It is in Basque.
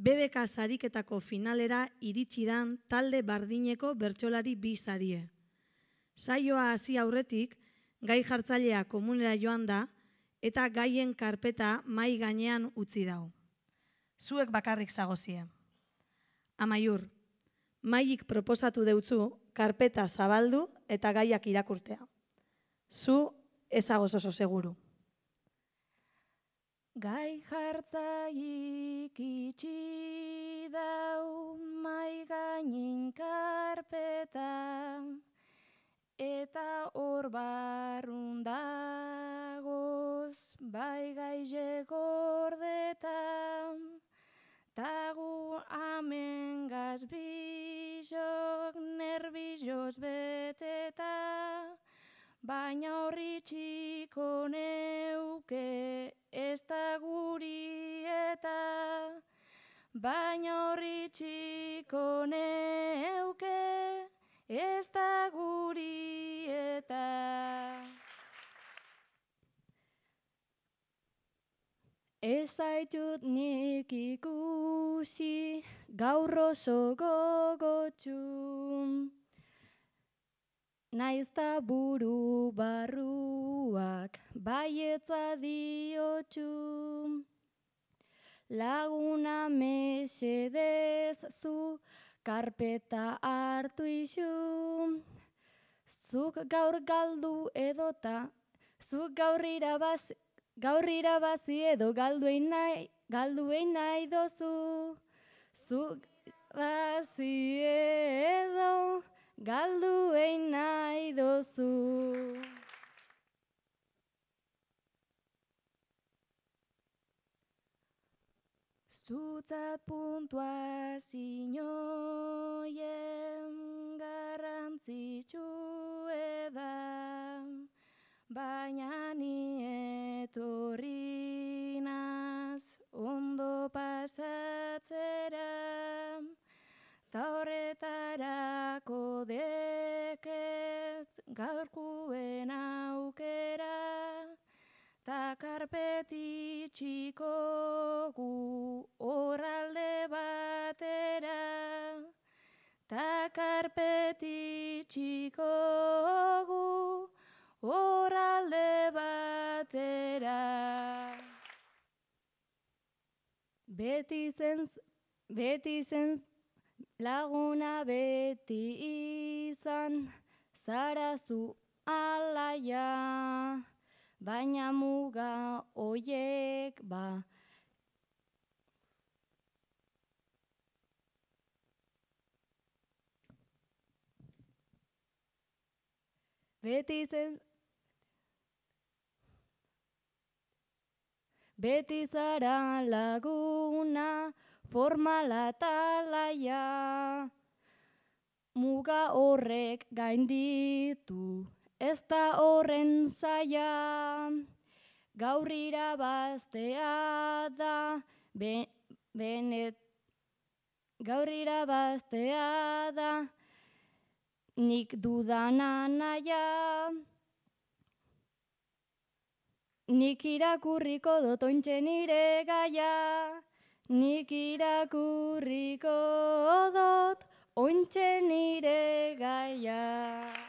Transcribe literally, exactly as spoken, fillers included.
B B K sariketako finalera iritsi dan talde bardineko bertsolari bi sarie. Saioa hasi aurretik, gai jartzailea komunera joan da eta gaien karpeta mai gainean utzi dau. Zuek bakarrik zagozie. Amaiur, maik proposatu deutzu karpeta zabaldu eta gaiak irakurtea. Zu ezagoz oso seguru. Gai jartzaik itxi dau mai gainin karpeta, eta hor barrun dagoz bai gaize gordeta, tagu amen gazbizok nerbizoz beteta, baina horri txiko neuke ez da guri eta, baina horri txiko neuke ez da guri eta. Ez zaitut nik ikusi gaur oso gogotxu, naiz ta buru barruak baietza diotxu. Laguna mesedez zu karpeta hartu isu, zuk gaur galdu edota, zuk gaur irabazi, gaur irabazi edo galduein nahi, galduein nahi dozu, zuk bazi edo galduein nahi dozu. Zutzat puntuazioen garrantzitsu eda, baina ni etorri naz ondo pasatzera, ta horretarako deket gaurkuen aukera, ta karpeti txiko gu horralde batera, ta karpeti txiko gu horralde batera. Beti zen, beti zen laguna beti izan, zara zu alaia, baina muga oiek ba. Beti zen, beti zara laguna formala eta laia, muga horrek gainditu ez da horren zaila, gaur irabaztea da, be, benet, gaur irabaztea da, nik dudana naia, nik irakurriko dut ointxe nire gaia, nik irakurriko dut ointxe nire gaia.